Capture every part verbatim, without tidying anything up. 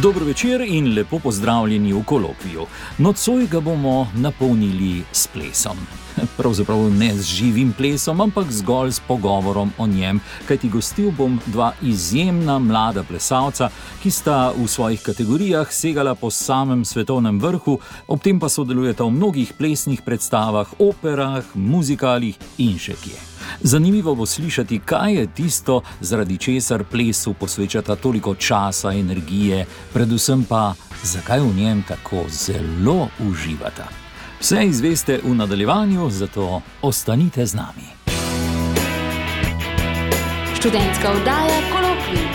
Dobro večer in lepo pozdravljeni v kolokviju. Nocoj ga bomo napolnili s plesom. Pravzaprav ne z živim plesom, ampak zgolj s pogovorom o njem, kajti gostil bom dva izjemna mlada plesalca, ki sta v svojih kategorijah segala po samem svetovnem vrhu, ob tem pa sodelujeta v mnogih plesnih predstavah, operah, muzikalih in še kje. Zanimivo bo slišati, kaj je tisto, zaradi česar plesu posvečata toliko časa, energije, predvsem pa, zakaj v njem tako zelo uživata. Vse izveste v nadaljevanju, zato ostanite z nami. Študentska oddaja Kolokvij.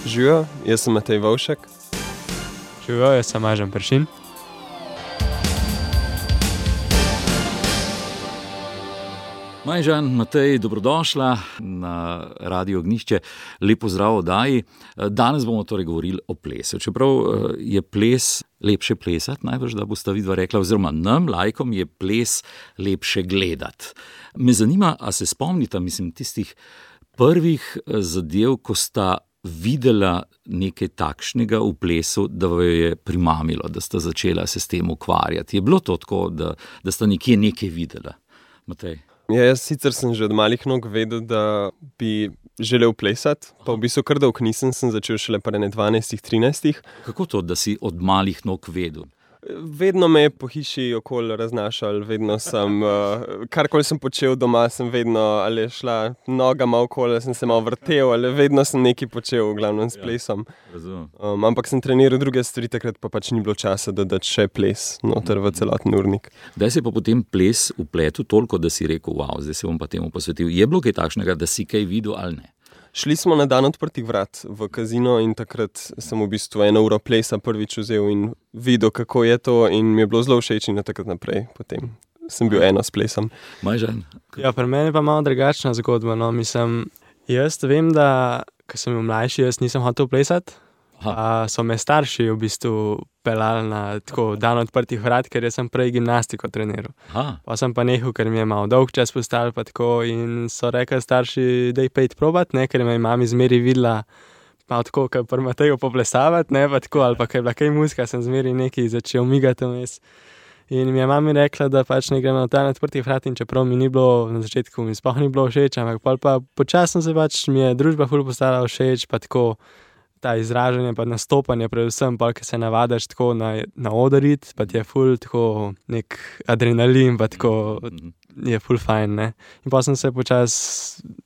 Živijo, jaz sem Matej Vovšek. Živijo, jaz sem Ažan Peršin. Majžan, Matej, dobrodošla na Radio Ognjišče. Lep pozdrav oddaji. Danes bomo torej govorili o plesu. Čeprav je ples lepše plesati, najbrž, da bosta vidva rekla, oziroma nam, laikom, je ples lepše gledati. Me zanima, a se spomnita, mislim, tistih prvih zadev, ko sta videla nekaj takšnega v plesu, da jo je primamilo, da sta začela se s tem ukvarjati. Je bilo to tako, da, da sta nekje nekaj videla? Matej? Ja, jaz sicer sem že od malih nog vedel, da bi želel plesati, pa v bistvu kar dolgo nisem, sem začel šele pri dvanajstih, trinajstih. Kako to, da si od malih nog vedel? Vedno me je po hiši okoli raznašal, vedno sem, uh, karkoli sem počel doma, sem vedno, ali je šla noga malo okoli, sem se malo vrtel, ali vedno sem nekaj počel, v glavnem s plesom. Ja, um, ampak sem treniral druge stvari, takrat pa pač ni bilo časa, da dati še ples noter v celoten urnik. Kdaj se je pa potem ples vpletel toliko, da si rekel, wow, zdaj se bom pa temu posvetil. Je bilo kaj takšnega, da si kaj videl ali ne? Šli smo na dan odprtih vrat v kazino in takrat sem v bistvu eno uro plesa prvič vzel in videl, kako je to, in mi je bilo zelo všeč in takrat naprej potem sem bil eno s plesom. Majžan? Ja, pri meni je pa malo drugačna zgodba. No. Mislim, jaz vem, da ko sem bil mlajši, jaz nisem hotel plesati. A so me starši v bistvu pelali na tako dan odprtih vrat, ker jaz sem prej gimnastiko treniral. Aha. Pa sem pa nehal, ker mi je malo dolg čas postal pa tako, in so rekli starši, daj pejt probat, ne, ker me je mami zmeri videla malo tako, kot pri Mateju poplesavati, ne, pa tako, ali pa kaj bila kaj muzika, sem zmeri nekaj začel migati vmes. In mi je mami rekla, da pač ne gremo na dan odprtih vrat, in čeprav mi ni bilo, na začetku mi sploh ni bilo všeč, ampak pol pa počasno se pač mi je družba ful postala všeč, pa tako ta izražanje, pa nastopanje, predvsem pa, ker se navadaš tako na, na odarit, pa ti je ful tako nek adrenalin, pa tako je ful fajn, ne. In pa sem se počas,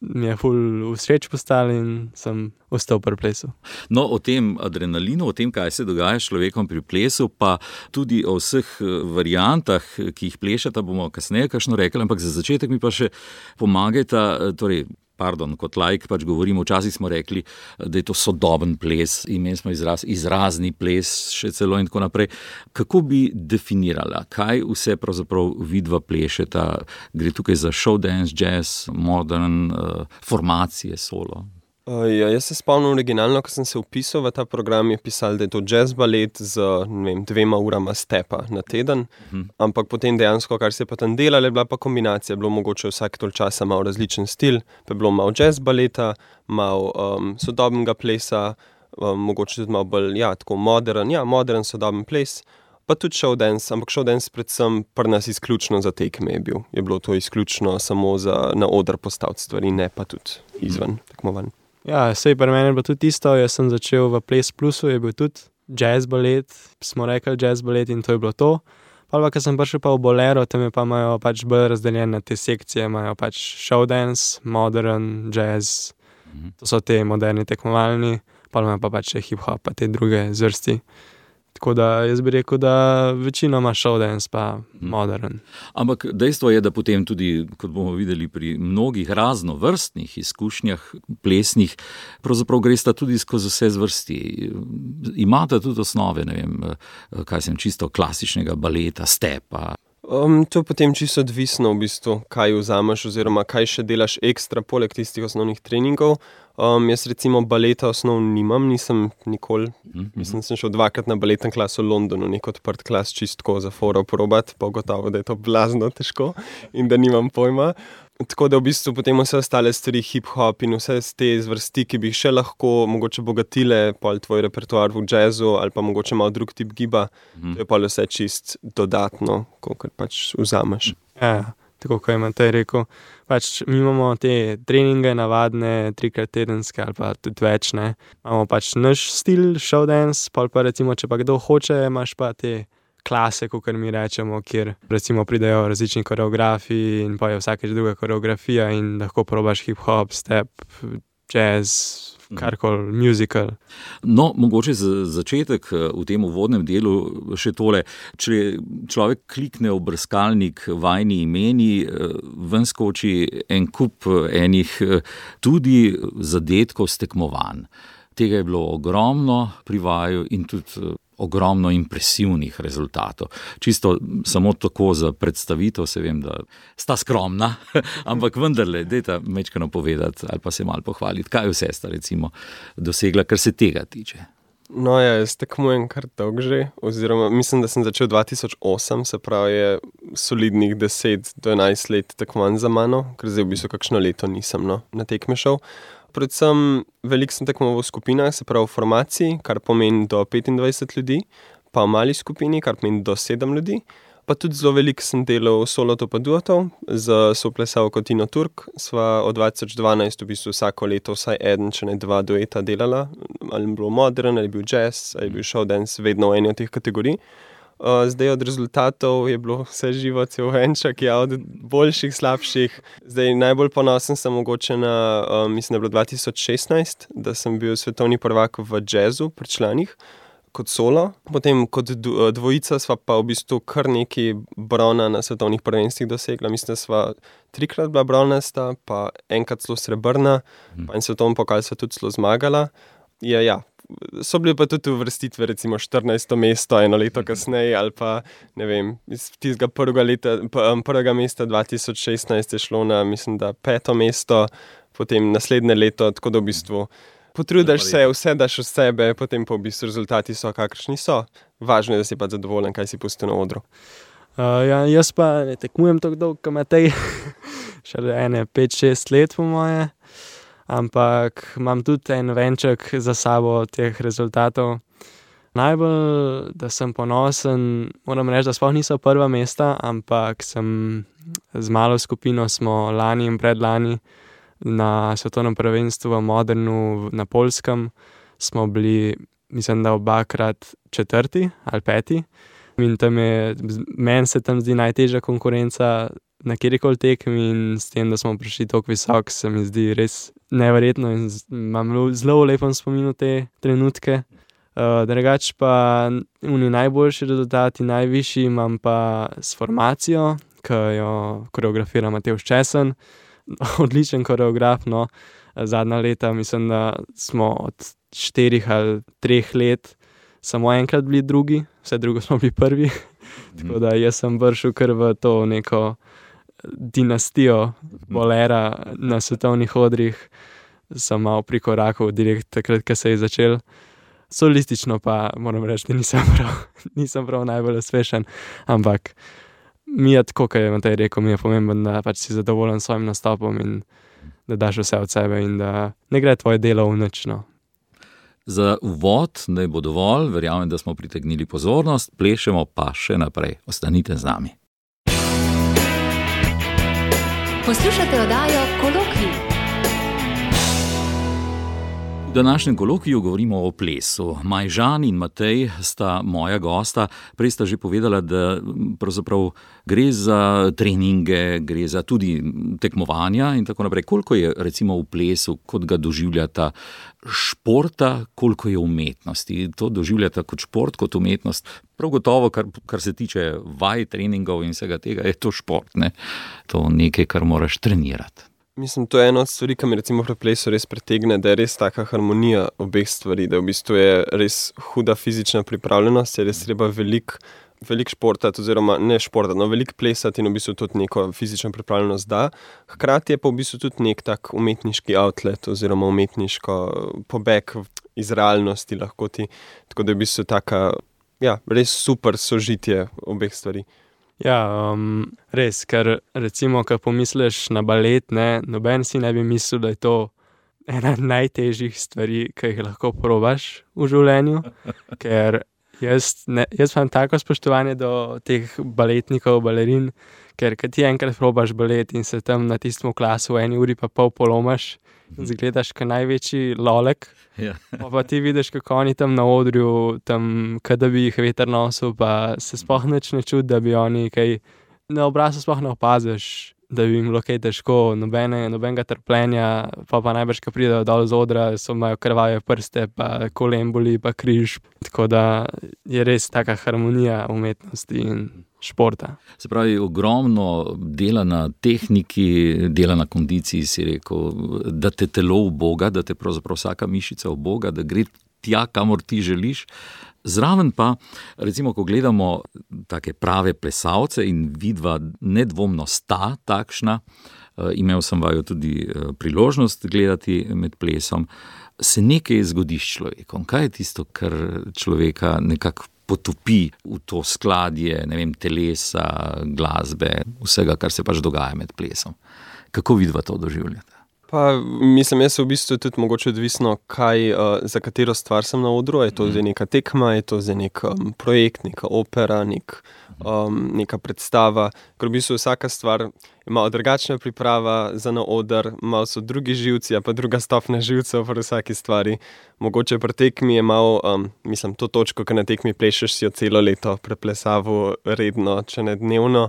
mi je ful všeč postal in sem ostal pri plesu. No, o tem adrenalinu, o tem, kaj se dogaja s človekom pri plesu, pa tudi o vseh variantah, ki jih plešata, bomo kasneje kakšno rekli, ampak za začetek mi pa še pomagajta, torej, pardon, kot laik pač govorimo, včasih smo rekli, da je to sodoben ples, imeli smo izraz, izrazni ples, še celo in tako naprej. Kako bi definirala, kaj vse pravzaprav vidva plešeta? Gre tukaj za show dance, jazz, modern, uh, formacije, solo? Uh, ja, jaz se spomnim originalno, ko sem se vpisal v ta program, je pisal, da je to jazz balet z, ne vem, dvema urama stepa na teden, uh-huh. Ampak potem dejansko, kar se je pa tam delalo, je bila pa kombinacija, bilo mogoče vsak tol časa malo različen stil, pa je bilo malo jazz baleta, malo um, sodobnega plesa, um, mogoče tudi malo bolj, ja, tako modern, ja, modern sodoben ples, pa tudi show dance, ampak show dance predvsem pri nas izključno za tekme je bil. Je bilo to izključno samo za na oder postaviti stvari, ne pa tudi izven uh-huh. tekmovanj. Ja, sej pri meni je bilo tudi isto, jaz sem začel v Ples Plusu, je bil tudi jazz balet, smo rekli jazz balet in to je bilo to. Pa pa, ko sem prišel pa v Bolero, tam je pa imajo pač bolj razdeljene te sekcije, imajo pač show dance, modern, jazz, mm-hmm. to so te moderni tekmovalni, pa imajo pa pač hip-hop, pa te druge zvrsti. Tako da jaz bi rekel, da večinoma show dance pa modern. Ampak dejstvo je, da potem tudi, kot bomo videli pri mnogih raznovrstnih izkušnjah plesnih, pravzaprav gresta tudi skozi vse zvrsti. Imate tudi osnove, ne vem, kaj sem čisto klasičnega baleta, stepa. Um, to je potem čisto odvisno v bistvu, kaj vzameš oziroma kaj še delaš ekstra poleg tistih osnovnih treningov. Um, jaz recimo baleta osnov nimam, nisem nikoli, mm-hmm. mislim, sem šel dvakrat na baletni klas v Londonu, nek odprt klas čistko za foro probat, pa gotovo, da je to blazno težko in da nimam pojma. Tako da v bistvu potem vse ostale stvari, hip-hop in vse te zvrsti, ki bi še lahko mogoče bogatile pol tvoj repertoar v jazzu ali pa mogoče malo drug tip giba, mm. to je pol vse čist dodatno, kolikor pač vzameš. Ja, tako kot je Matej rekel, pač mi imamo te treninge navadne, trikrat tedenske ali pa tudi več, ne. Imamo pač naš stil, show dance, pol pa recimo, če pa kdo hoče, imaš pa te klase, kakor mi rečemo, kjer recimo pridejo različni koreografi in pa je vsakeč druga koreografija in lahko probaš hip-hop, step, jazz, karkoli, musical. No, mogoče za začetek v tem uvodnem delu še tole. Če človek klikne v brskalnik vajni imeni, ven skoči en kup enih tudi zadetkov s tekmovanj. Tega je bilo ogromno pri vaju in tudi ogromno impresivnih rezultatov. Čisto samo tako za predstavitev, se vem, da sta skromna, ampak vendarle, dajte mečkano povedati ali pa se malo pohvaliti, kaj vse sta recimo dosegla, kar se tega tiče. No ja, jaz tekmujem kar dolgo že, oziroma mislim, da sem začel dva tisoč osem, se pravi je solidnih deset do enajst let tekmovanj za mano, ker zdaj v bistvu kakšno leto nisem no, na tekme šel. Predvsem veliko sem tekmoval v skupinah, se pravi v formaciji, kar pomeni do petindvajset ljudi, pa v mali skupini, kar pomeni do sedem ljudi. Pa tudi zelo veliko sem delal solotov pa duotov, z soplesalko Tino Turk. Sva od dva tisoč dvanajst v bistvu vsako leto vsaj eden, če ne dva dueta delala. Ali je bil modern, ali je bil jazz, ali je bil show dance, vedno v eni od teh kategorij. Uh, zdaj od rezultatov je bilo vse živo, cel venček, ja, od boljših, slabših. Zdaj najbolj ponosen sem mogoče na, uh, mislim, da je bilo dva tisoč šestnajst, da sem bil svetovni prvak v jazzu pri članih, kot solo. Potem kot dvojica sva pa v bistvu kar neki brona na svetovnih prvenstvih dosegla. Mislim, da sva trikrat bila bronasta, pa enkrat celo srebrna, hmm. pa en svetovni pokal sva tudi celo zmagala. Ja, ja. So bili pa tudi uvrstitve, recimo štirinajsto mesto eno leto kasneje ali pa, ne vem, iz tistega prvega, leta, prvega mesta dva tisoč šestnajst je šlo na, mislim, da peto mesto, potem naslednje leto, tako da v bistvu potrudiš se, vse daš od sebe, potem pa v bistvu rezultati so, kakršni so. Važno je, da si pa zadovoljen, kaj si pustil na odru. Uh, ja, jaz pa ne tekmujem tako dolgo, kot Matej, šele ene pet šest let po moje. Ampak imam tudi en venček za sabo teh rezultatov. Najbolj, da sem ponosen, moram reči, da sploh niso prva mesta, ampak sem z malo skupino smo lani in predlani na svetovnem prvenstvu v Modernu na Poljskem smo bili, mislim, da obakrat četrti ali peti. In tam je, meni se tam zdi najtežja konkurenca na kjerikoli tekmi in s tem, da smo prišli toliko visok, se mi zdi res neverjetno in imam zelo lepo spominu te trenutke. Uh, drugač pa oni najboljši rezultati, najvišji imam pa s formacijo, ki jo koreografira Matevž Česen. Odličen koreograf, no. Zadnja leta mislim, da smo od štirih ali treh let samo enkrat bili drugi, vse drugo smo bili prvi. Tako da jaz sem vršil kar v to neko dinastijo bolera na svetovnih odrih. Sem malo prikorakal direkt takrat, ko se je začel. Solistično pa moram reči, da nisem prav, nisem prav najbolj uspešen, ampak mi je tako, kot je Matej rekel, mi je pomembno, da pač si zadovoljen s svojim nastopom in da daš vse od sebe in da ne gre tvoje delo v nič, no. Za uvod naj bo dovolj, verjamem, da smo pritegnili pozornost, plešemo pa še naprej. Ostanite z nami. Poslušate oddajo Kolokvij. V današnjem kolokviju govorimo o plesu. Majžan in Matej sta moja gosta. Prej sta že povedala, da pravzaprav gre za treninge, gre za tudi tekmovanja in tako naprej. Koliko je recimo v plesu, kot ga doživljata športa, koliko je umetnosti? To doživljata kot šport, kot umetnost. Prav gotovo, kar, kar se tiče vaj, treningov in vsega tega, je to šport, ne? To nekaj, kar moraš trenirati. Mislim, to je ena od stvari, ki mi recimo pri plesu res pretegne, da je res taka harmonija obeh stvari, da v bistvu je res huda fizična pripravljenost, je res treba veliko veliko športati, oziroma ne športati, no veliko plesati in v bistvu tudi neko fizično pripravljenost da. Hkrati je pa v bistvu tudi nek tak umetniški outlet oziroma umetniško pobeg iz realnosti lahko ti. Tako da je v bistvu taka, ja, res super sožitje obeh stvari. Ja, um, res, ker recimo, ko pomisliš na balet, ne, noben si ne bi mislil, da je to ena najtežjih stvari, ki jih lahko probaš v življenju, ker jaz, ne, jaz imam tako spoštovanje do teh baletnikov, balerin, ker kad ti enkrat probaš balet in se tam na tistem klasu v eni uri pa pol polomaš in zgledaš kot največji lolek, Ja. pa, pa ti vidiš, kako oni tam na odrju, tam, kada bi jih veter nosil, pa se sploh nič ne čudi, da bi oni kaj, na obrazu sploh ne opaziš, da bi jim bilo kaj težko, nobene, nobenega trpljenja, pa pa najbrž, ko pridejo dol z odra, so imajo krvave prste, pa kolen boli, pa križ, tako da je res taka harmonija umetnosti in športa. Se pravi, ogromno dela na tehniki, dela na kondiciji, si rekel, da te telo uboga, da te pravzaprav vsaka mišica uboga, da gre tja, kamor ti želiš. Zraven pa, recimo, ko gledamo take prave plesalce in vidva nedvomno sta takšna, imel sem vaju tudi priložnost gledati med plesom, se nekaj zgodi s človekom. Kaj je tisto, kar človeka nekako potopi v to skladje, ne vem, telesa, glasbe, vsega, kar se pač dogaja med plesom? Kako vidva to doživljate? Pa mislim, jaz se v bistvu tudi mogoče odvisno, kaj, uh, za katero stvar sem na odru, je to zdaj neka tekma, je to zdaj nek um, projekt, neka opera, nek, um, neka predstava, ker v bistvu vsaka stvar ima drugačna priprava za na oder, malo so drugi živci, a pa druga stopnja živcev pri vsaki stvari. Mogoče pri tekmi je malo, um, mislim, to točko, ki na tekmi plešeš, si jo celo leto preplesavu redno, če ne dnevno,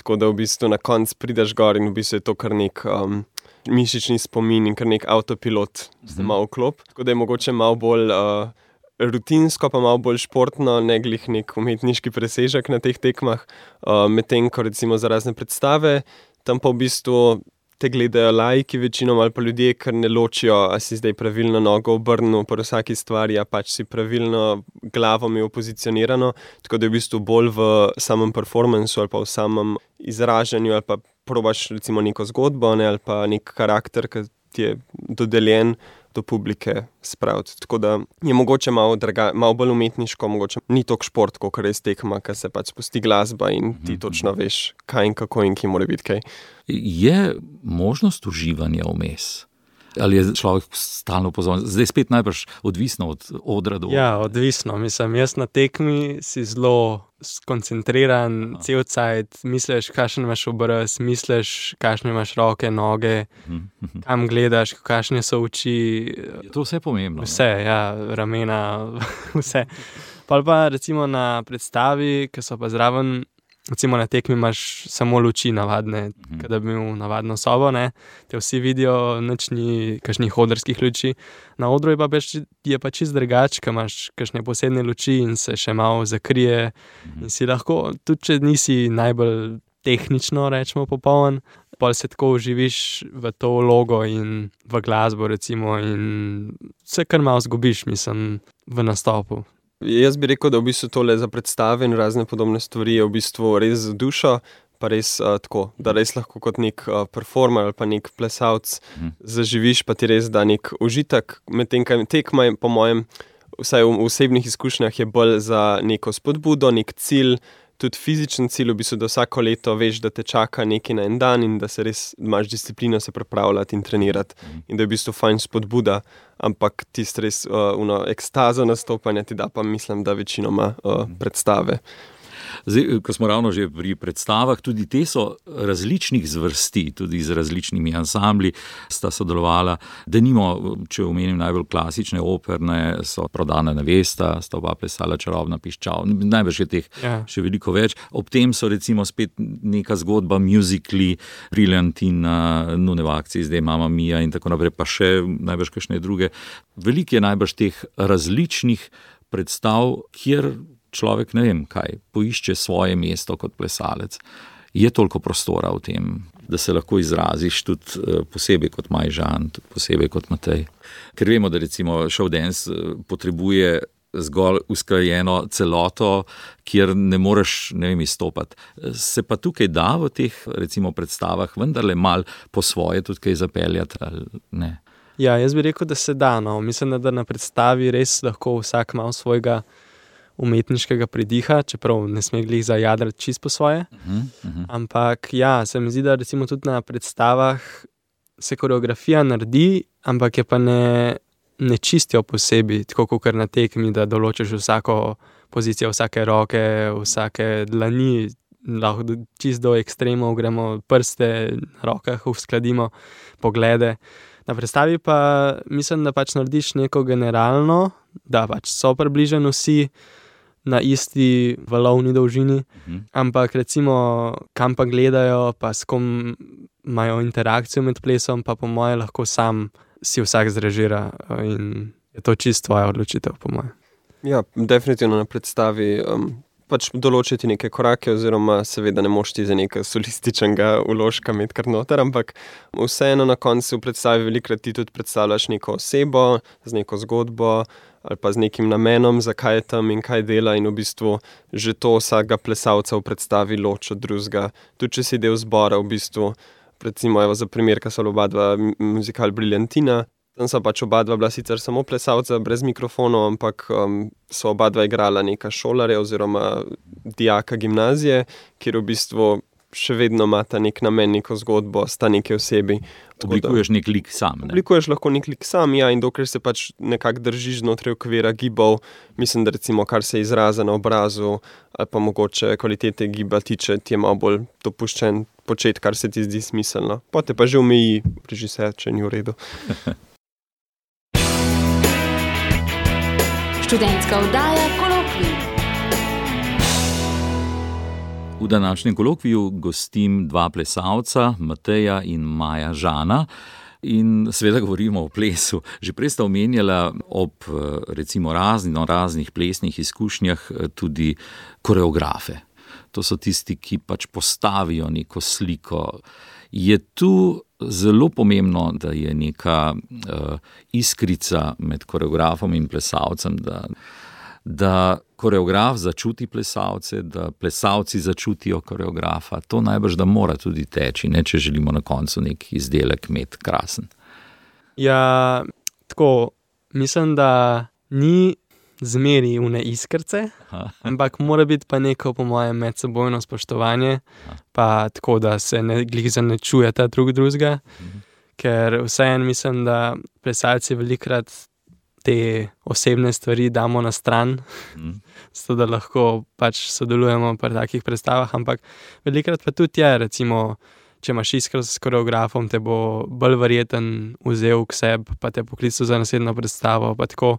tako da v bistvu na konc prideš gor in v bistvu je to kar nek um, mišični spomin in kar nek avtopilot se malo vklop. Tako da je mogoče malo bolj uh, rutinsko, pa malo bolj športno, ne glih nek umetniški presežek na teh tekmah. Uh, medtem, ko recimo za razne predstave, tam pa v bistvu te gledajo laiki večinom ali pa ljudje, ker ne ločijo, a si zdaj pravilno nogo obrnil pri vsaki stvari, a pač si pravilno glavo imel pozicionirano. Tako da je v bistvu bolj v samem performansu ali pa v samem izražanju ali pa probaš recimo neko zgodbo, ne, ali pa nek karakter, ki ti je dodeljen do publike spraviti. Tako da je mogoče malo, draga, malo bolj umetniško, mogoče ni toliko šport, kot res tekma, ker se pač spusti glasba in ti točno veš, kaj in kako in ki mora biti kaj. Je možnost uživanja vmes? Ali je človek stalno pozorn? Zdaj spet najbrž odvisno od odra do odra. Ja, odvisno. Mislim, jaz na tekmi si zelo skoncentriran, cel cajt, misliš, kakšen imaš obraz, misliš, kakšne imaš roke, noge, kam gledaš, kakšne so oči. Je to vse pomembno? Vse, ne? Ja, ramena, vse. Pa pa recimo na predstavi, ki so pa zraven, recimo na tekmi imaš samo luči navadne, mm. kada bi imel navadno sobo, ne, te vsi vidijo, nič ni kakšnih odrskih luči. Na odru je pa, beč, je pa čist drugač, ko imaš kakšne posebne luči in se še malo zakrije mm. in si lahko, tudi če nisi najbolj tehnično, rečemo, popoln, pol se tako uživiš v to vlogo in v glasbo recimo in se kar malo zgubiš, mislim, v nastopu. Jaz bi rekel, da v bistvu tole za predstave in razne podobne stvari je v bistvu res za dušo, pa res uh, tako, da res lahko kot nek uh, performer ali pa nek plesalc mm. zaživiš, pa ti res da nek užitek. Medtem, kaj tekma je po mojem, vsaj v osebnih izkušnjah je bolj za neko spodbudo, nek cilj, tudi fizičen cilj, v bistvu, da vsako leto veš, da te čaka nekaj na en dan in da se res imaš disciplino se pripravljati in trenirati in da je v bistvu fajn spodbuda, ampak tist res uh, uno, ekstazo nastopanja ti da pa mislim, da večinoma uh, predstave. Zdaj, ko smo ravno že pri predstavah, tudi te so različnih zvrsti, tudi z različnimi ansambli sta sodelovala. Denimo, če omenim najbolj klasične operne, so Prodana nevesta, sta oba plesala Čarobna piščal, najbrž je teh ja. še veliko več. Ob tem so recimo spet neka zgodba, musicali, Briljantina, Nune v akciji, zdaj Mamma Mia in tako naprej, pa še najbrž kakšne druge. Veliko je najbrž teh različnih predstav, kjer človek, ne vem kaj, poišče svoje mesto kot plesalec. Je toliko prostora v tem, da se lahko izraziš tudi posebej kot Maj Žan, tudi posebej kot Matej. Ker vemo, da recimo show dance potrebuje zgolj usklajeno celoto, kjer ne moreš, ne vem, izstopati. Se pa tukaj da v teh, recimo, predstavah vendarle mal po svoje tudi kaj zapeljati, ali ne? Ja, jaz bi rekel, da se da, no. Mislim, da na predstavi res lahko vsak malo svojega umetniškega pridiha, čeprav ne sme glih zajadrati čist po svoje. Uh-huh, uh-huh. Ampak ja, se mi zdi, da recimo tudi na predstavah se koreografija naredi, ampak je pa ne, ne čistijo posebej, tako kot na tekmi, da določiš vsako pozicijo, vsake roke, vsake dlani, lahko čist do ekstremov gremo, prste na rokah uskladimo, poglede. Na predstavi pa mislim, da pač narediš neko generalno, da pač so približeni vsi na isti valovni dolžini, uh-huh. ampak recimo kam pa gledajo, pa s kom imajo interakcijo med plesom, pa po moje lahko sam si vsak zrežira in je to čisto tvoja odločitev, po moje. Ja, definitivno na predstavi um, pač določiti neke korake, oziroma seveda ne moš ti za nekaj solističnega vložka imeti kar noter, ampak vseeno na koncu v predstavi velikrat ti tudi predstavljaš neko osebo z neko zgodbo ali pa z nekim namenom, zakaj je tam in kaj dela, in v bistvu že to vsakega plesalca v predstavi loči od drugega. Tudi če si del zbora, v bistvu, recimo evo za primer, ko so oba dva muzikal Briljantina, tam so pač oba dva bila sicer samo plesalca brez mikrofonov, ampak um, so oba dva igrala neka šolarja oziroma dijaka gimnazije, kjer v bistvu še vedno imata nek namen, neko zgodbo, sta neke osebi. Oblikuješ nek lik sam, ne? Oblikuješ lahko nek lik sam, ja, in dokler se pač nekako držiš znotraj okvira gibov, mislim, da recimo kar se izraza na obrazu ali pa mogoče kvalitete giba tiče, ti je malo bolj dopuščen početi, kar se ti zdi smiselno. Potem pa že omeji režiser, če ni v redu. Študentska oddaja Kolokvij. V današnjem kolokviju gostim dva plesalca, Mateja in Maja Žana, in seveda govorimo o plesu. Že prej sta omenjala ob recimo raznih, raznih plesnih izkušnjah tudi koreografe. To so tisti, ki pač postavijo neko sliko. Je tu zelo pomembno, da je neka uh, iskrica med koreografom in plesalcem, da, da koreograf začuti plesalce, da plesalci začutijo koreografa. To najbrž, da mora tudi teči, ne, če želimo na koncu nek izdelek imeti krasen. Ja, tako, mislim, da ni zmeri une iskrce, Aha. ampak mora biti pa neko, po mojem, medsebojno spoštovanje, Aha. pa tako, da se ne glih zanečujeta drug drugega, mhm. ker vseeno mislim, da plesalci velikrat te osebne stvari damo na stran, mhm. zato da lahko pač sodelujemo pri takih predstavah, ampak velikrat pa tudi je, recimo, če imaš iskro s koreografom, te bo bolj verjeten vzel k sebi, pa te poklical za naslednjo predstavo, pa tako.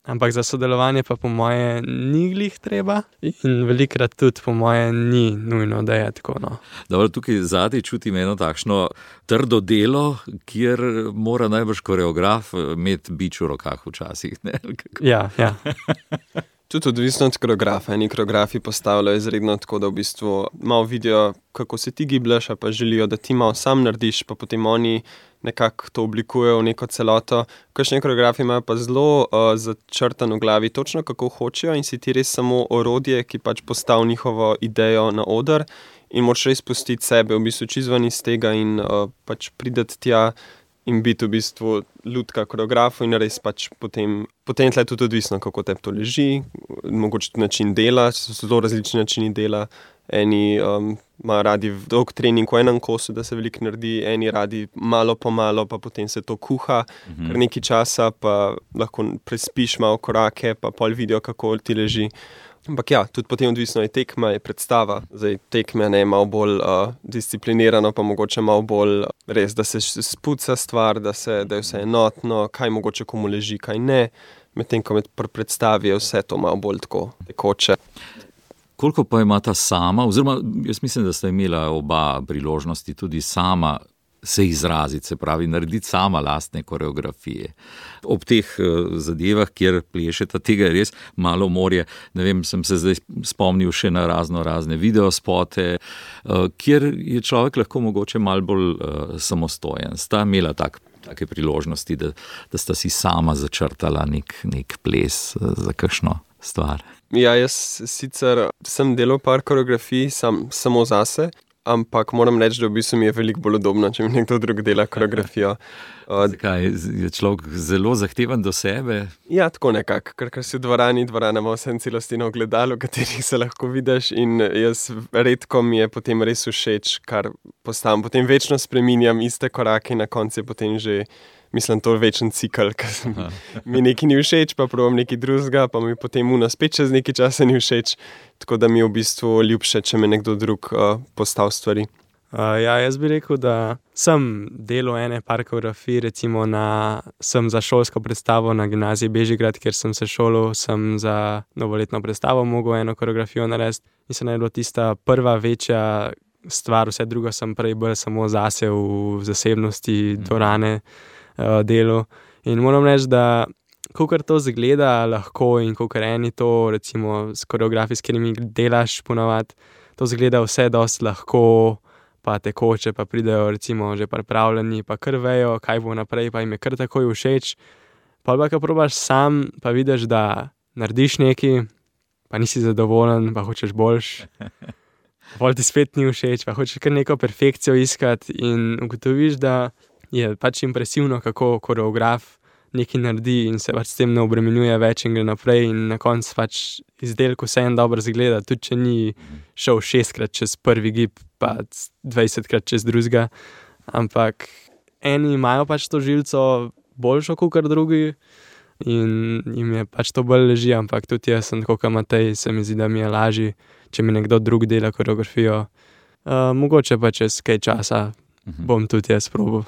Ampak za sodelovanje pa po moje ni glih treba in velikrat tudi po moje ni nujno, da je tako. No. Dobro, tukaj zadaj čutim eno takšno trdo delo, kjer mora najbrž koreograf imeti bič v rokah včasih. Ne? Ja, ja. Tudi odvisno od koreografa. Eni koreografi postavljajo izredno tako, da v bistvu malo vidijo, kako se ti gibljaš, pa želijo, da ti malo sam narediš, pa potem oni nekako to oblikujejo v neko celoto. Kakšni koreografi imajo pa zelo uh, začrtan v glavi točno, kako hočejo, in si ti res samo orodje, ki pač postavi njihovo idejo na oder in moraš res pustiti sebe, v bistvu čizvan iz tega in uh, pač prideti tja in biti v bistvu lutka koreografu in res pač potem, potem tle tudi odvisno, kako te to leži, mogoče tudi način dela, so zelo različni načini dela. Eni um, imajo radi dolg trening v enem kosu, da se veliko naredi, eni radi malo po malo, pa potem se to kuha, mhm. kar nekaj časa, pa lahko prespiš malo korake, pa pol vidijo, kako ti leži. Ampak ja, tudi potem odvisno je tekma, je predstava. Zdaj tekme ne je malo bolj uh, disciplinirano, pa mogoče malo bolj res, da se spuca stvar, da, se, da je vse enotno, kaj mogoče komu leži, kaj ne. Medtem ko med predstavi je vse to malo bolj tako tekoče. Koliko pa imata sama, oziroma jaz mislim, da sta imela oba priložnosti tudi sama se izraziti, se pravi narediti sama lastne koreografije. Ob teh uh, zadevah, kjer plešeta, tega je res malo morje. Ne vem, sem se zdaj spomnil še na razno razne videospote, uh, kjer je človek lahko mogoče malo bolj uh, samostojen. Sta imela tak take priložnosti, da, da sta si sama začrtala nek, nek ples za kakšno stvar? Ja, jaz sicer sem delal par koreografij sam, samo zase, ampak moram reči, da v bistvu mi je veliko bolj udobno, če mi nekdo drug dela koreografijo. Zakaj? Je človek zelo zahteven do sebe? Ja, tako nekako, ker, ker si v dvorani, dvorana ima vsem celostino ogledalo, v katerih se lahko vidiš in jaz redko mi je potem res všeč, kar postavim. Potem večno spreminjam iste korake in na koncu je potem že, mislim, to večen cikl, ker mi nekaj ni všeč, pa probam nekaj drugega, pa mi potem uno spet čez nekaj časa ni všeč, tako da mi je v bistvu ljubše, če me nekdo drug uh, postav stvari. Uh, ja, jaz bi rekel, da sem delal ene par koreografij, recimo na, sem za šolsko predstavo na gimnaziji Bežigrad, kjer sem se šolal, sem za novoletno predstavo mogel eno koreografijo narediti in se ne bilo tista prva večja stvar, vse drugo sem prej bolj samo zase v zasebnosti dvorane uh, delu. In moram reči, da kakor to zgleda lahko in kakor eni to, recimo s koreografi, s katerimi delaš ponavadi, to zgleda vse dosti lahko, pa tekoče, pa pridejo recimo že pripravljeni, pa kar vejo, kaj bo naprej, pa jim je kar takoj všeč. Pa pa, ko probaš sam, pa vidiš, da narediš nekaj, pa nisi zadovoljen, pa hočeš boljš. Pol ti spet ni všeč, pa hočeš kar neko perfekcijo iskati in ugotoviš, da je pač impresivno, kako koreograf nekaj naredi in se pač s tem ne obremenjuje več in gre naprej in na koncu pač izdelku vse en dobro zgleda, tudi če ni šel šestkrat čez prvi gib, pa dvajsetkrat čez drugega, ampak eni imajo pač to žilco boljšo kakor drugi in jim je pač to bolj leži, ampak tudi jaz sem tako kot Matej, se mi zdi, da mi je lažji, če mi nekdo drug dela koreografijo. Uh, mogoče pa čez kaj časa bom tudi jaz probal.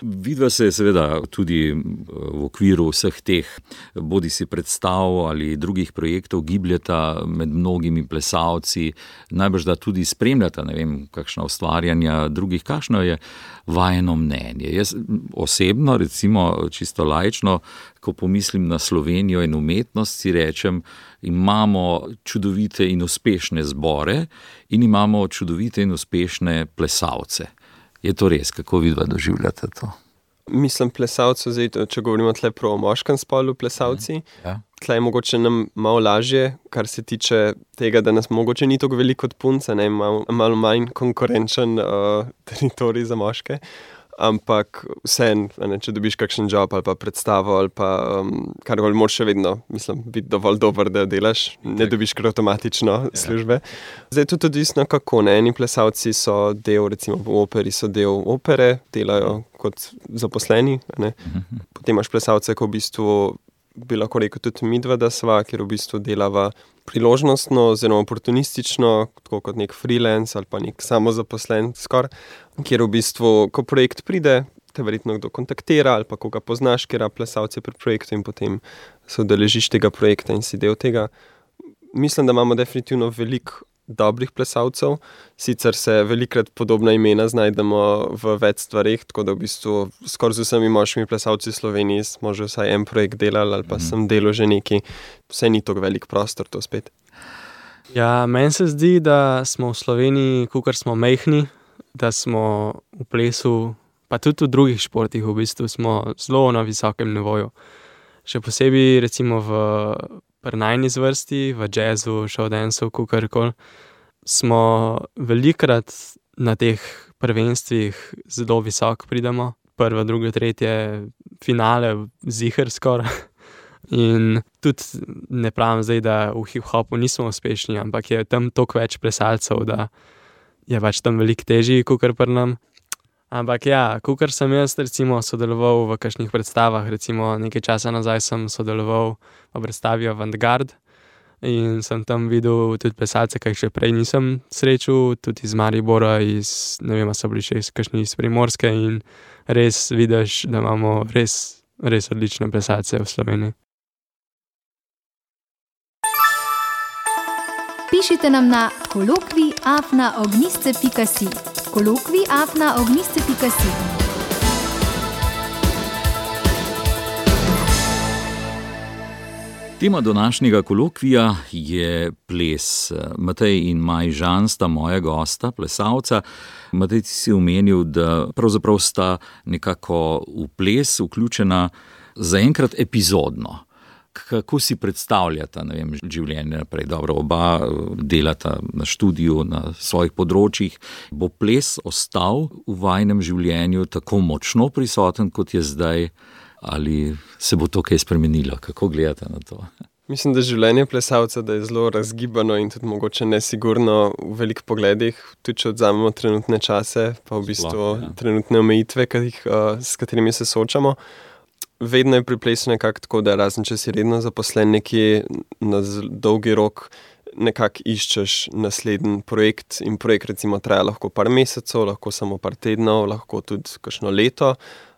Vidva se seveda tudi v okviru vseh teh bodi si predstav ali drugih projektov gibljata med mnogimi plesalci, najbrž da tudi spremljata, ne vem, kakšna ustvarjanja drugih, kakšno je vajeno mnenje. Jaz osebno, recimo čisto laično, ko pomislim na Slovenijo in umetnost, si rečem, imamo čudovite in uspešne zbore in imamo čudovite in uspešne plesalce. Je to res? Kako vidva doživljate to? Mislim, plesalcev, zdaj, če govorimo tle prav o moškem spolu plesalci, ja. Tle je mogoče nam malo lažje, kar se tiče tega, da nas mogoče ni tako veliko od punce, ne, malo, malo manj konkurenčen uh, teritorij za moške. Ampak vseeno, če dobiš kakšen job ali pa predstavo ali pa um, karkoli, moraš še vedno, mislim, biti dovolj dober, da delaš, ne dobiš kar avtomatično službe. Zdaj je tudi odvisno kako, ne, eni plesalci so del, recimo v operi so del opere, delajo kot zaposleni, ne. Potem imaš plesalce, ko v bistvu bi lahko rekel tudi midva, da sva, kjer v bistvu delava priložnostno, oziroma oportunistično, tako kot nek freelance ali pa nek samozaposlen skor, kjer v bistvu, ko projekt pride, te verjetno kdo kontaktira ali pa koga poznaš, kjer plesalce pri projektu in potem se udeležiš tega projekta in si del tega. Mislim, da imamo definitivno veliko dobrih plesalcev, sicer se velikrat podobna imena znajdemo v več stvareh, tako da v bistvu skoraj z vsemi moškimi plesalci v Sloveniji smo že vsaj en projekt delali ali pa mm. sem delal že neki, vse ni tako velik prostor to spet. Ja, meni se zdi, da smo v Sloveniji, kakor smo majhni, da smo v plesu, pa tudi v drugih športih v bistvu smo zelo na visokem nivoju. Še posebej recimo v pri najni zvrsti, v jazzu, showdanceu, kakorkoli, smo velikrat na teh prvenstvih zelo visoko pridemo. Prvo, drugo, tretje, finale, ziher skoraj. In tudi ne pravim zdaj, da v hip-hopu nismo uspešni, ampak je tam toliko več plesalcev, da je pač tam veliko težji, kakor pri nam. Ampak ja, kakor sem jaz recimo sodeloval v kakšnih predstavah, recimo nekaj časa nazaj sem sodeloval v predstavi Avantgard in sem tam videl tudi plesalce, kaj še prej nisem srečal, tudi iz Maribora, iz, ne vem, so bili še iz kakšni iz Primorske in res vidiš, da imamo res, res odlične plesalce v Sloveniji. Pišite nam na kolokvij afna ognjišče pika si. kolokvij afna ognjišče pika si. Tema današnjega kolokvija je ples. Matej in Maj Žan sta moja gosta, plesalca. Matej, ti si omenil, da pravzaprav sta nekako v ples vključena zaenkrat epizodno. Kako si predstavljata, ne vem, življenje naprej? Dobro, oba delata na študiju, na svojih področjih. Bo ples ostal v vajinem življenju tako močno prisoten, kot je zdaj? Ali se bo to kaj spremenilo? Kako gledate na to? Mislim, da življenje plesalca da je zelo razgibano in tudi mogoče nesigurno v velikih pogledih, tudi če odzamemo trenutne čase, pa v bistvu Sploh, ja. trenutne omejitve, s katerimi se soočamo. Vedno je pri plesu nekako tako, da razen če si redno zaposlen nekje na dolgi rok, nekako iščeš naslednji projekt in projekt recimo traja lahko par mesecev, lahko samo par tednov, lahko tudi kakšno leto,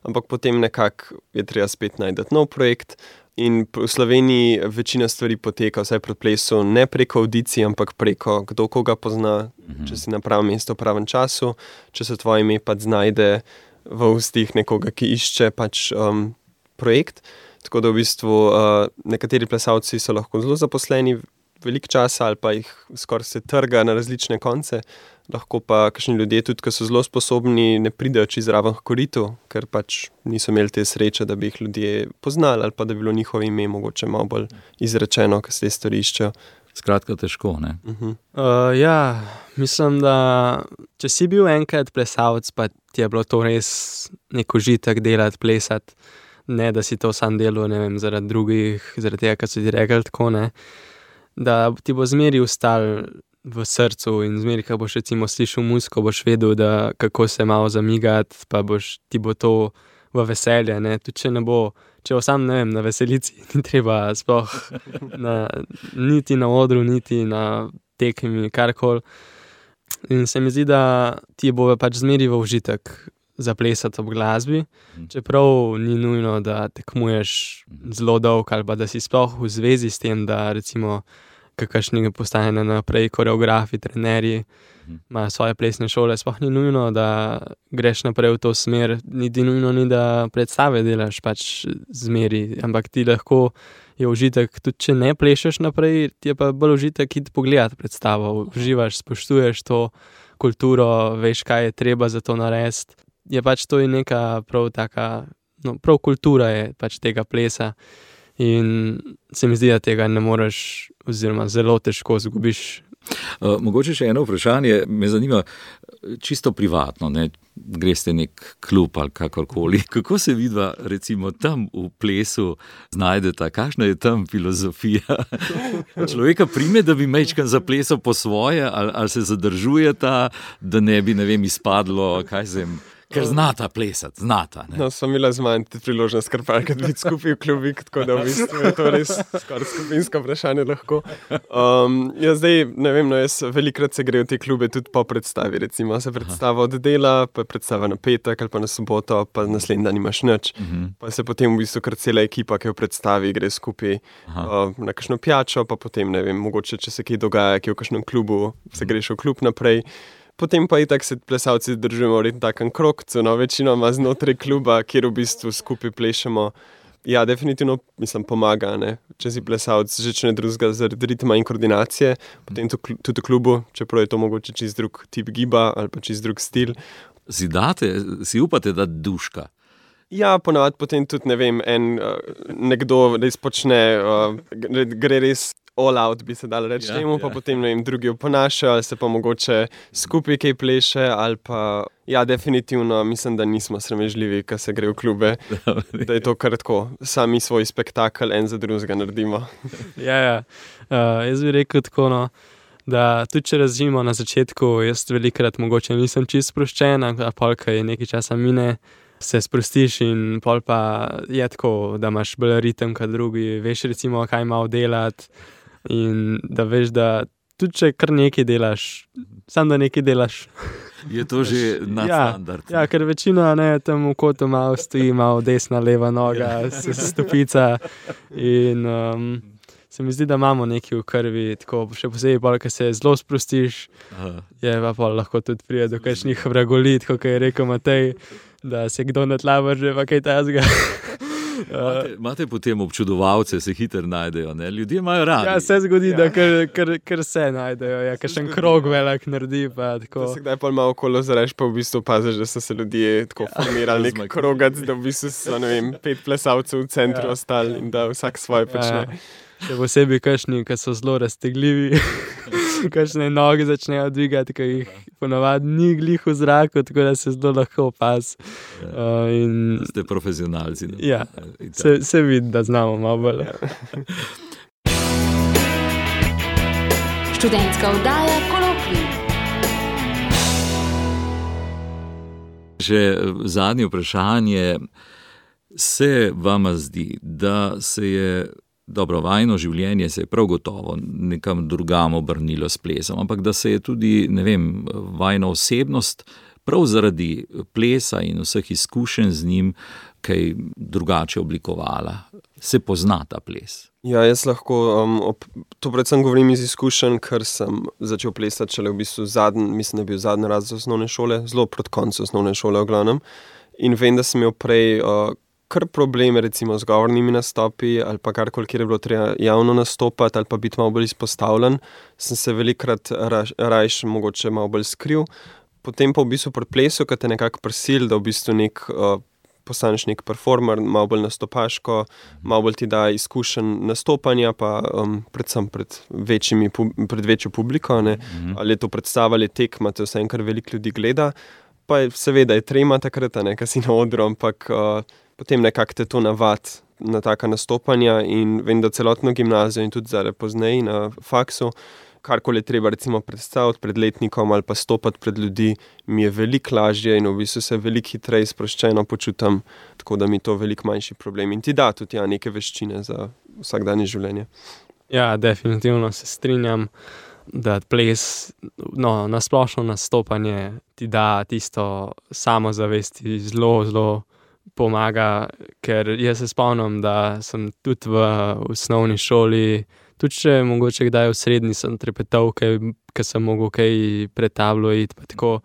ampak potem nekako je treba spet najti nov projekt in v Sloveniji večina stvari poteka vsaj pri plesu ne preko audicij, ampak preko kdo koga pozna, mhm. če si na pravem mestu v pravem času, če se tvoje ime pač znajde v ustih nekoga, ki išče pač um, projekt. Tako da v bistvu uh, nekateri plesalci so lahko zelo zaposleni veliko časa ali pa jih skoraj se trga na različne konce. Lahko pa kakšni ljudje tudi, ki so zelo sposobni, ne pridejo čisto zraven h koritu, ker pač niso imeli te sreče, da bi jih ljudje poznali ali pa da bi bilo njihovo ime mogoče malo bolj izrečeno, ko se te stvari iščejo. Skratka težko, ne? Uh-huh. Uh, ja, mislim, da če si bil enkrat plesalec, pa ti je bilo to res nek užitek delati, plesati, ne da si to sam delal, ne vem, zaradi drugih, zaradi tega, kar so ti rekli tako, ne, da ti bo zmeri ostal v srcu in zmeri, ko boš recimo slišal muziko, boš vedel, da kako se malo zamigati, pa boš, ti bo to v veselje, ne, tudi če ne bo, če bo sam, ne vem, na veselici, ni treba sploh na, niti na odru, niti na tekmi, karkoli. In se mi zdi, da ti bo pač zmeri v užitek zaplesati ob glasbi, čeprav ni nujno, da tekmuješ zelo dolgo ali pa da si sploh v zvezi s tem, da recimo kakšni postanejo naprej koreografi, trenerji, imajo svoje plesne šole, sploh ni nujno, da greš naprej v to smer, niti nujno ni, da predstave delaš pač zmeri, ampak ti lahko je užitek, tudi če ne plešeš naprej, ti je pa bolj užitek iti pogledati predstavo, uživaš, spoštuješ to kulturo, veš, kaj je treba za to narediti. Je pač to in neka prav taka, no, prav kultura je pač tega plesa in se mi zdi, da tega ne moreš oziroma zelo težko zgubiš. Uh, mogoče še eno vprašanje, me zanima čisto privatno, ne, greste nek klub ali kakorkoli, kako se vidva recimo tam v plesu znajdeta, kakšna je tam filozofija? Človeka prime, da bi majčkan zaplesal po svoje ali, ali se zadržujeta, da ne bi, ne vem, izpadlo, kaj sem... Ker znata plesati, znata. Ne? No, smo imela z manj priložnost, kar parkrat biti skupaj v klubik, tako da v bistvu je to res skoraj skupinsko vprašanje lahko. Um, ja, zdaj, ne vem, no, jaz velikrat se gre v te klube tudi po predstavi, recimo se predstava oddela, pa predstava na petek ali pa na soboto, pa naslednji dan imaš nič, uh-huh. pa se potem v bistvu kar cela ekipa, ki v predstavi gre skupaj uh, na kakšno pijačo, pa potem, ne vem, mogoče, če se kaj dogaja, ki v kakšnem klubu, se greš v klub naprej. Potem pa itak se plesalci držujemo v takem krogcu, no, večino ima znotraj kluba, kjer v bistvu skupaj plešemo. Ja, definitivno, mislim, pomaga, ne. Če si plesalc, že če ne drugega zaradi ritma in koordinacije, potem to, tudi v klubu, čeprav je to mogoče čist drug tip giba ali pa čist drug stil. Si date, si upate dati duška? Ja, ponavadi potem tudi, ne vem, en, nekdo res počne, gre res all out, bi se dalo reči, ja, temu, pa ja. Potem, ne vem, drugi oponašajo, ali se pa mogoče skupaj kaj pleše, ali pa, ja, definitivno, mislim, da nismo sramežljivi, ko se gre v klube, da je to kar tako, sami svoj spektakel en za drugega naredimo. Ja, ja, uh, jaz bi rekel tako, no, da tudi če razžimo na začetku, jaz velikrat mogoče nisem čisto sproščen, a pol, ko je nekaj časa mine, se sprostiš in pol pa je tako, da imaš bolj ritem kot drugi, veš recimo, kaj malo delati in da veš, da tudi če kar nekaj delaš, samo da nekaj delaš. Je to že nadstandard. Ja, ja, ker večina, ne, tam v kotu malo stoji, malo desna, leva noga, stopica in um, se mi zdi, da imamo nekaj v krvi, tako še posebej pol, ko se zelo sprostiš, Aha. je pa pol lahko tudi prije do kakšnih vragolit, kot je rekel Matej, da se kdo na tla vrže, pa kaj tazga. Imate, imate potem občudovalce, se hitro najdejo, ne? Ljudje imajo radi. Ja, se zgodi, ja. da kar, kar, kar se najdejo, ja, kakšen krog velik naredi. Pa, da se kdaj pa malo okolo zareš, pa v bistvu paziš, da so se ljudje tako formirali nek krogac, da v bistvu so, ne vem, pet plesalcev v centru ja. ostali in da vsak svoje počne. Ja. Še posebej kašni, ki so zelo raztegljivi, kašne noge začnejo dvigati, ki jih ponavadi ni glih v zraku, tako da se zelo lahko opaz. Ja. Uh, in... Ste profesionalci. Ne? Ja, se, se vidi, da znamo malo bolj. Študentska oddaja Kolokvij. Še zadnje vprašanje. Se vama zdi, da se je dobro, vajno življenje se je prav gotovo nekam drugam obrnilo s plesom, ampak da se je tudi, ne vem, vajna osebnost prav zaradi plesa in vseh izkušenj z njim kaj drugače oblikovala. Se pozna ta ples? Ja, jaz lahko, um, ob, to predvsem govorim iz izkušenj, ker sem začel plesati šele v bistvu zadnji, mislim, da je bil zadnji razred osnovne šole, zelo proti koncu osnovne šole v glavnem. In vem, da sem imel prej uh, kar probleme recimo z govornimi nastopi ali pa karkoli, kjer je bilo treba javno nastopati ali pa biti malo bolj izpostavljen, sem se velikrat raž, rajš mogoče malo bolj skril. Potem pa v bistvu pri plesu, kad te nekako prisil, da v bistvu nek uh, postaneš nek performer, malo bolj nastopaško, malo bolj ti da izkušenj nastopanja, pa um, predvsem pred, večjimi, pred večjo publiko, ne? Mm-hmm. Ali je to predstava, ali tekma, te vse enkrat veliko ljudi gleda, pa je, seveda je trema takrat, ne, kad si na odru, ampak uh, potem nekako te to navad na taka nastopanja in vem, da celotno gimnazijo in tudi zdaj pozneje na faksu, karkoli je treba recimo predstaviti pred letnikom ali pa stopati pred ljudi, mi je veliko lažje in v bistvu se veliko hitreje sproščeno počutam, tako da mi je to veliko manjši problem in ti da tudi ja, neke veščine za vsakdanje življenje. Ja, definitivno se strinjam, da ples, no, nasplošno nastopanje ti da tisto samozavesti zelo, zelo pomaga, ker jaz se spomnim, da sem tudi v osnovni šoli, tudi če mogoče kdaj v srednji sem trepetal, ker sem mogel kaj pred tablo iti, pa tako,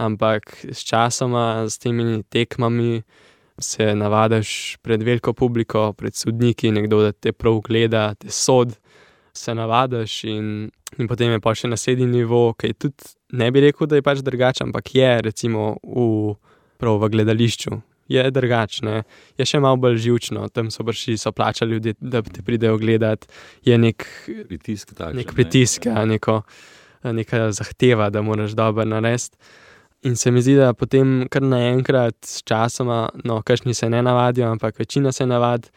ampak s časoma, s temi tekmami se navadaš pred veliko publiko, pred sodniki, nekdo, da te prav gleda, te sod, se navadaš in, in potem je pa še naslednji nivo, ki tudi ne bi rekel, da je pač drugače, ampak je recimo v, prav v gledališču. Je drugačne, je še malo bolj živčno, tam so brši, so plačali ljudje, da te pridejo gledati, je nek pritisk, takšen, nek pritisk, ne? neko, neka zahteva, da moraš dobro narediti. In se mi zdi, da potem kar naenkrat s časoma, no, kakšni se ne navadijo, ampak večina se navadi,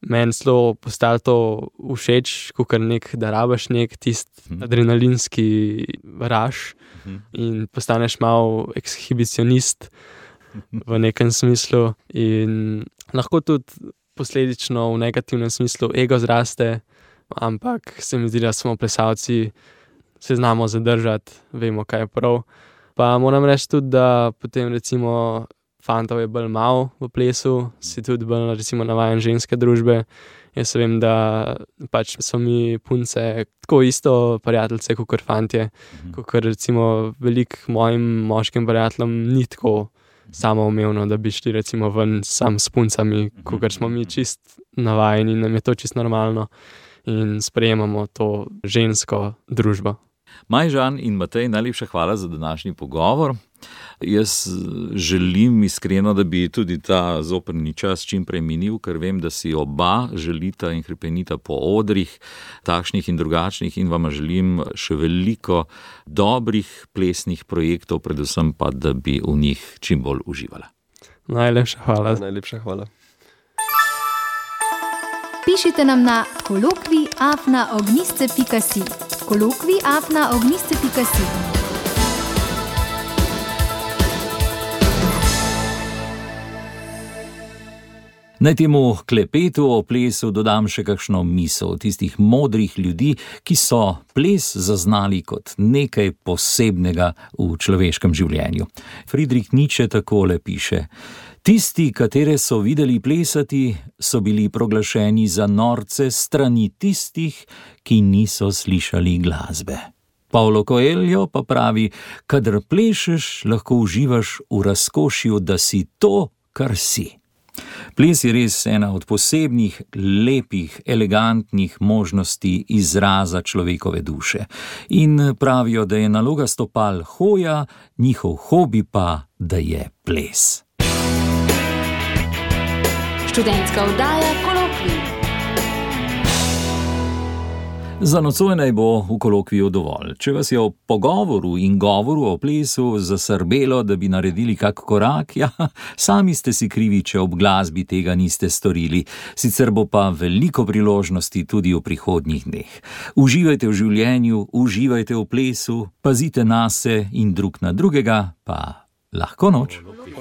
meni zelo postalo to všeč, kakor nek, da rabaš nek tist hmm. adrenalinski raž hmm. in postaneš malo ekshibicionist v nekem smislu in lahko tudi posledično v negativnem smislu ego zraste, ampak se mi zdi, da smo plesalci, se znamo zadržati, vemo, kaj je prav. Pa moram reči tudi, da potem recimo fantov je bolj malo v plesu, si tudi bolj recimo navajen ženske družbe. Jaz vem, da pač so mi punce tako isto prijateljce, kakor fantje, mhm. kakor recimo velik mojim moškim prijateljem ni tako samoumevno, da bi šli recimo ven sam s puncami, kakor smo mi čist navajeni, nam je to čist normalno in sprejemamo to žensko družbo. Maj, Žan in Matej, najlepša hvala za današnji pogovor. Jaz želim iskreno, da bi tudi ta zoprni čas čim prej minil, ker vem, da si oba želita in hrepenita po odrih, takšnih in drugačnih, in vam želim še veliko dobrih plesnih projektov, predvsem pa, da bi v njih čim bolj uživala. Najlepša hvala. Najlepša hvala. Pišite nam na kolokvij afna ognjišče pika si. kolokvij afna ognjišče pika si. Naj temu klepetu o plesu dodam še kakšno misel tistih modrih ljudi, ki so ples zaznali kot nekaj posebnega v človeškem življenju. Friedrich Nietzsche takole piše: tisti, katere so videli plesati, so bili proglašeni za norce strani tistih, ki niso slišali glasbe. Paulo Coelho pa pravi: kadar plešeš, lahko uživaš v razkošju, da si to, kar si. Ples je res ena od posebnih, lepih, elegantnih možnosti izraza človekove duše. In pravijo, da je naloga stopal hoja, njihov hobi pa, da je ples. Študentska oddaja Kolokvij. Za nocoj naj bo v kolokviju dovolj. Če vas je o pogovoru in govoru o plesu zasrbelo, da bi naredili kak korak, ja, sami ste si krivi, če ob glasbi tega niste storili. Sicer bo pa veliko priložnosti tudi v prihodnjih dneh. Uživajte v življenju, uživajte v plesu, pazite nase in drug na drugega, pa lahko noč. Kolokvij,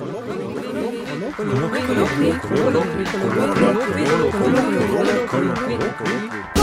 kolokvij, kolokvij, kolokvij, kolokvij, kolokvij, kolokvij, kolokvij.